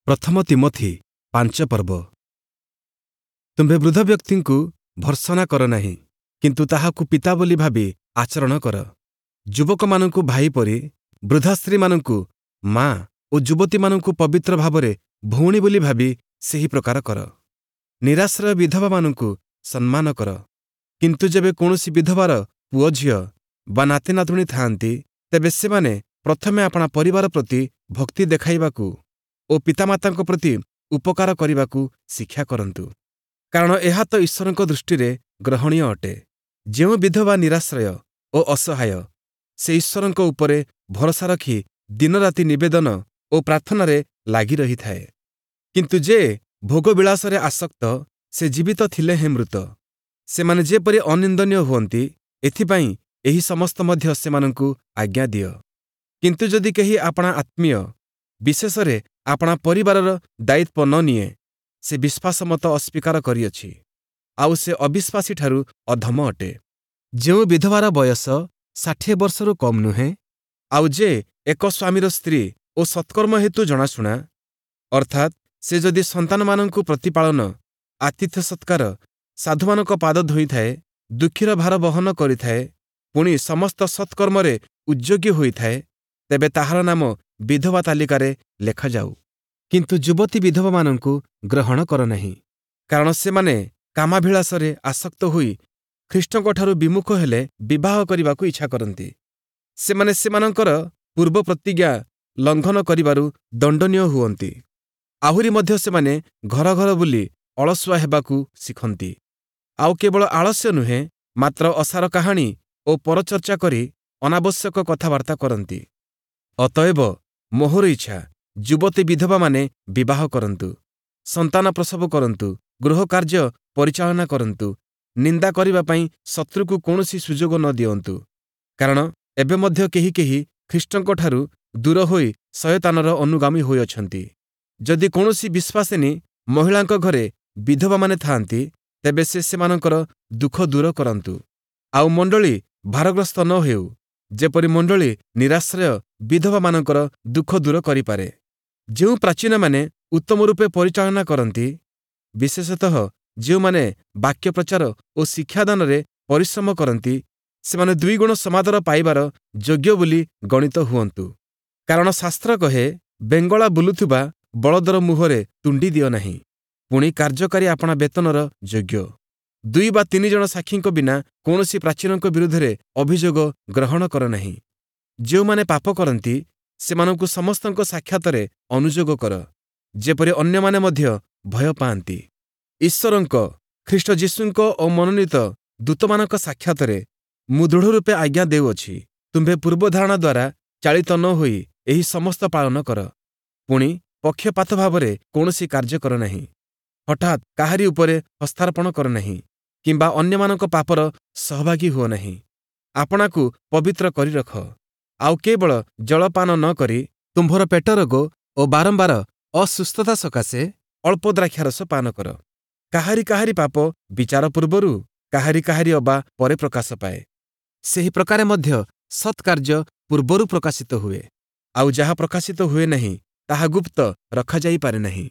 ପ୍ରଥମ ତୀମଥି 5 ପର୍ବ। ତୁମ୍ଭେ ବୃଦ୍ଧ ବ୍ୟକ୍ତିଙ୍କୁ ଭର୍ତ୍ସନା କର ନାହିଁ, କିନ୍ତୁ ତାହାକୁ ପିତା ବୋଲି ଭାବି ଆଚରଣ କର। ଯୁବକମାନଙ୍କୁ ଭାଇ ପରି, ବୃଦ୍ଧା ସ୍ତ୍ରୀମାନଙ୍କୁ ମା ଓ ଯୁବତୀମାନଙ୍କୁ ପବିତ୍ର ଭାବରେ ଭଉଣୀ ବୋଲି ଭାବି ସେହି ପ୍ରକାର କର। ନିରାଶ୍ରୟ ବିଧବାମାନଙ୍କୁ ସମ୍ମାନ କର। କିନ୍ତୁ ଯେବେ କୌଣସି ବିଧବାର ପୁଅ ଝିଅ ବା ନାତି ନାତୁଣୀ ଥାଆନ୍ତି, ତେବେ ସେମାନେ ପ୍ରଥମେ ଆପଣା ପରିବାର ପ୍ରତି ଭକ୍ତି ଦେଖାଇବାକୁ ଓ ପିତାମାତାଙ୍କ ପ୍ରତି ଉପକାର କରିବାକୁ ଶିକ୍ଷା କରନ୍ତୁ, କାରଣ ଏହା ତ ଈଶ୍ୱରଙ୍କ ଦୃଷ୍ଟିରେ ଗ୍ରହଣୀୟ ଅଟେ। ଯେଉଁ ବିଧବା ନିରାଶ୍ରୟ ଓ ଅସହାୟ, ସେ ଈଶ୍ୱରଙ୍କ ଉପରେ ଭରସା ରଖି ଦିନରାତି ନିବେଦନ ଓ ପ୍ରାର୍ଥନାରେ ଲାଗି ରହିଥାଏ। କିନ୍ତୁ ଯେ ଭୋଗବିଳାସରେ ଆସକ୍ତ, ସେ ଜୀବିତ ଥିଲେ ହେଁ ମୃତ। ସେମାନେ ଯେପରି ଅନିନ୍ଦନୀୟ ହୁଅନ୍ତି, ଏଥିପାଇଁ ଏହି ସମସ୍ତ ମଧ୍ୟ ସେମାନଙ୍କୁ ଆଜ୍ଞା ଦିଅ। କିନ୍ତୁ ଯଦି କେହି ଆପଣା ଆତ୍ମୀୟ, ବିଶେଷରେ ଆପଣା ପରିବାରର ଦାୟିତ୍ୱ ନ ନିଏ, ସେ ବିଶ୍ୱାସ ମତ ଅସ୍ୱୀକାର କରିଅଛି, ଆଉ ସେ ଅବିଶ୍ୱାସୀଠାରୁ ଅଧମ ଅଟେ। ଯେଉଁ ବିଧବାର ବୟସ 60 ବର୍ଷରୁ କମ୍ ନୁହେଁ, ଆଉ ଯେ ଏକ ସ୍ୱାମୀର ସ୍ତ୍ରୀ ଓ ସତ୍କର୍ମ ହେତୁ ଜଣାଶୁଣା, ଅର୍ଥାତ୍ ସେ ଯଦି ସନ୍ତାନମାନଙ୍କୁ ପ୍ରତିପାଳନ, ଆତିଥ୍ୟ ସତ୍କାର, ସାଧୁମାନଙ୍କ ପାଦ ଧୋଇଥାଏ, ଦୁଃଖୀର ଭାର ବହନ କରିଥାଏ, ପୁଣି ସମସ୍ତ ସତ୍କର୍ମରେ ଉଦ୍ଯୋଗୀ ହୋଇଥାଏ, ତେବେ ତାହାର ନାମ ବିଧବା ତାଲିକାରେ ଲେଖାଯାଉ। କିନ୍ତୁ ଯୁବତୀ ବିଧବାମାନଙ୍କୁ ଗ୍ରହଣ କର ନାହିଁ, କାରଣ ସେମାନେ କାମାଭିଳାଷରେ ଆସକ୍ତ ହୋଇ ଖ୍ରୀଷ୍ଟଙ୍କଠାରୁ ବିମୁଖ ହେଲେ ବିବାହ କରିବାକୁ ଇଚ୍ଛା କରନ୍ତି। ସେମାନେ ସେମାନଙ୍କର ପୂର୍ବ ପ୍ରତିଜ୍ଞା ଲଙ୍ଘନ କରିବାରୁ ଦଣ୍ଡନୀୟ ହୁଅନ୍ତି। ଆହୁରି ମଧ୍ୟ ସେମାନେ ଘର ଘର ବୁଲି ଅଳସୁଆ ହେବାକୁ ଶିଖନ୍ତି। ଆଉ କେବଳ ଆଳସ୍ୟ ନୁହେଁ, ମାତ୍ର ଅସାର କାହାଣୀ ଓ ପରଚର୍ଚ୍ଚା କରି ଅନାବଶ୍ୟକ କଥାବାର୍ତ୍ତା କରନ୍ତି। ଅତଏବ ମୋହର ଇଚ୍ଛା, ଯୁବତୀ ବିଧବାମାନେ ବିବାହ କରନ୍ତୁ, ସନ୍ତାନ ପ୍ରସବ କରନ୍ତୁ, ଗୃହ କାର୍ଯ୍ୟ ପରିଚାଳନା କରନ୍ତୁ, ନିନ୍ଦା କରିବା ପାଇଁ ଶତ୍ରୁକୁ କୌଣସି ସୁଯୋଗ ନ ଦିଅନ୍ତୁ। କାରଣ ଏବେ ମଧ୍ୟ କେହି କେହି ଖ୍ରୀଷ୍ଟଙ୍କଠାରୁ ଦୂର ହୋଇ ଶୟତାନର ଅନୁଗାମୀ ହୋଇଅଛନ୍ତି। ଯଦି କୌଣସି ବିଶ୍ୱାସିନୀ ମହିଳାଙ୍କ ଘରେ ବିଧବାମାନେ ଥାଆନ୍ତି, ତେବେ ସେ ସେମାନଙ୍କର ଦୁଃଖ ଦୂର କରନ୍ତୁ, ଆଉ ମଣ୍ଡଳୀ ଭାରଗ୍ରସ୍ତ ନ ହେଉ, ଯେପରି ମଣ୍ଡଳୀ ନିରାଶ୍ରୟ ବିଧବାମାନଙ୍କର ଦୁଃଖ ଦୂର କରିପାରେ। ଯେଉଁ ପ୍ରାଚୀନମାନେ ଉତ୍ତମ ରୂପେ ପରିଚାଳନା କରନ୍ତି, ବିଶେଷତଃ ଯେଉଁମାନେ ବାକ୍ୟ ପ୍ରଚାର ଓ ଶିକ୍ଷାଦାନରେ ପରିଶ୍ରମ କରନ୍ତି, ସେମାନେ ଦୁଇଗୁଣ ସମାଦର ପାଇବାର ଯୋଗ୍ୟ ବୋଲି ଗଣିତ ହୁଅନ୍ତୁ। କାରଣ ଶାସ୍ତ୍ର କହେ, ବେଙ୍ଗଳା ବୁଲୁଥିବା ବଳଦର ମୁହଁରେ ତୁଣ୍ଡି ଦିଅ ନାହିଁ। ପୁଣି କାର୍ଯ୍ୟକାରୀ ଆପଣା ବେତନର ଯୋଗ୍ୟ। 2 ବା 3 ଜଣ ସାକ୍ଷୀଙ୍କ ବିନା କୌଣସି ପ୍ରାଚୀନଙ୍କ ବିରୁଦ୍ଧରେ ଅଭିଯୋଗ ଗ୍ରହଣ କର ନାହିଁ। ଯେଉଁମାନେ ପାପ କରନ୍ତି, ସେମାନଙ୍କୁ ସମସ୍ତଙ୍କ ସାକ୍ଷାତରେ ଅନୁଯୋଗ କର, ଯେପରି ଅନ୍ୟମାନେ ମଧ୍ୟ ଭୟ ପାଆନ୍ତି। ଈଶ୍ୱରଙ୍କ, ଖ୍ରୀଷ୍ଟ ଯୀଶୁଙ୍କ ଓ ମନୋନୀତ ଦୂତମାନଙ୍କ ସାକ୍ଷାତରେ ମୁଁ ଦୃଢ଼ ରୂପେ ଆଜ୍ଞା ଦେଉଅଛି, ତୁମ୍ଭେ ପୂର୍ବଧାରଣା ଦ୍ୱାରା ଚାଳିତ ନ ହୋଇ ଏହି ସମସ୍ତ ପାଳନ କର। ପୁଣି ପକ୍ଷପାତ ଭାବରେ କୌଣସି କାର୍ଯ୍ୟ କର ନାହିଁ। ହଠାତ୍ କାହାରି ଉପରେ ହସ୍ତାର୍ପଣ କର ନାହିଁ, କିମ୍ବା ଅନ୍ୟମାନଙ୍କ ପାପର ସହଭାଗୀ ହୁଅ ନାହିଁ। ଆପଣାକୁ ପବିତ୍ର କରି ରଖ। ଆଉ କେବଳ ଜଳପାନ ନ କରି ତୁମ୍ଭର ପେଟ ରୋଗ ଓ ବାରମ୍ବାର ଅସୁସ୍ଥତା ସକାଶେ ଅଳ୍ପ ଦ୍ରାକ୍ଷାରସ ପାନ କର। କାହାରି କାହାରି ପାପ ବିଚାର ପୂର୍ବରୁ, କାହାରି କାହାରି ଅବା ପରେ ପ୍ରକାଶ ପାଏ। ସେହି ପ୍ରକାରେ ମଧ୍ୟ ସତ୍କାର୍ଯ୍ୟ ପୂର୍ବରୁ ପ୍ରକାଶିତ ହୁଏ, ଆଉ ଯାହା ପ୍ରକାଶିତ ହୁଏ ନାହିଁ, ତାହା ଗୁପ୍ତ ରଖାଯାଇପାରେ ନାହିଁ।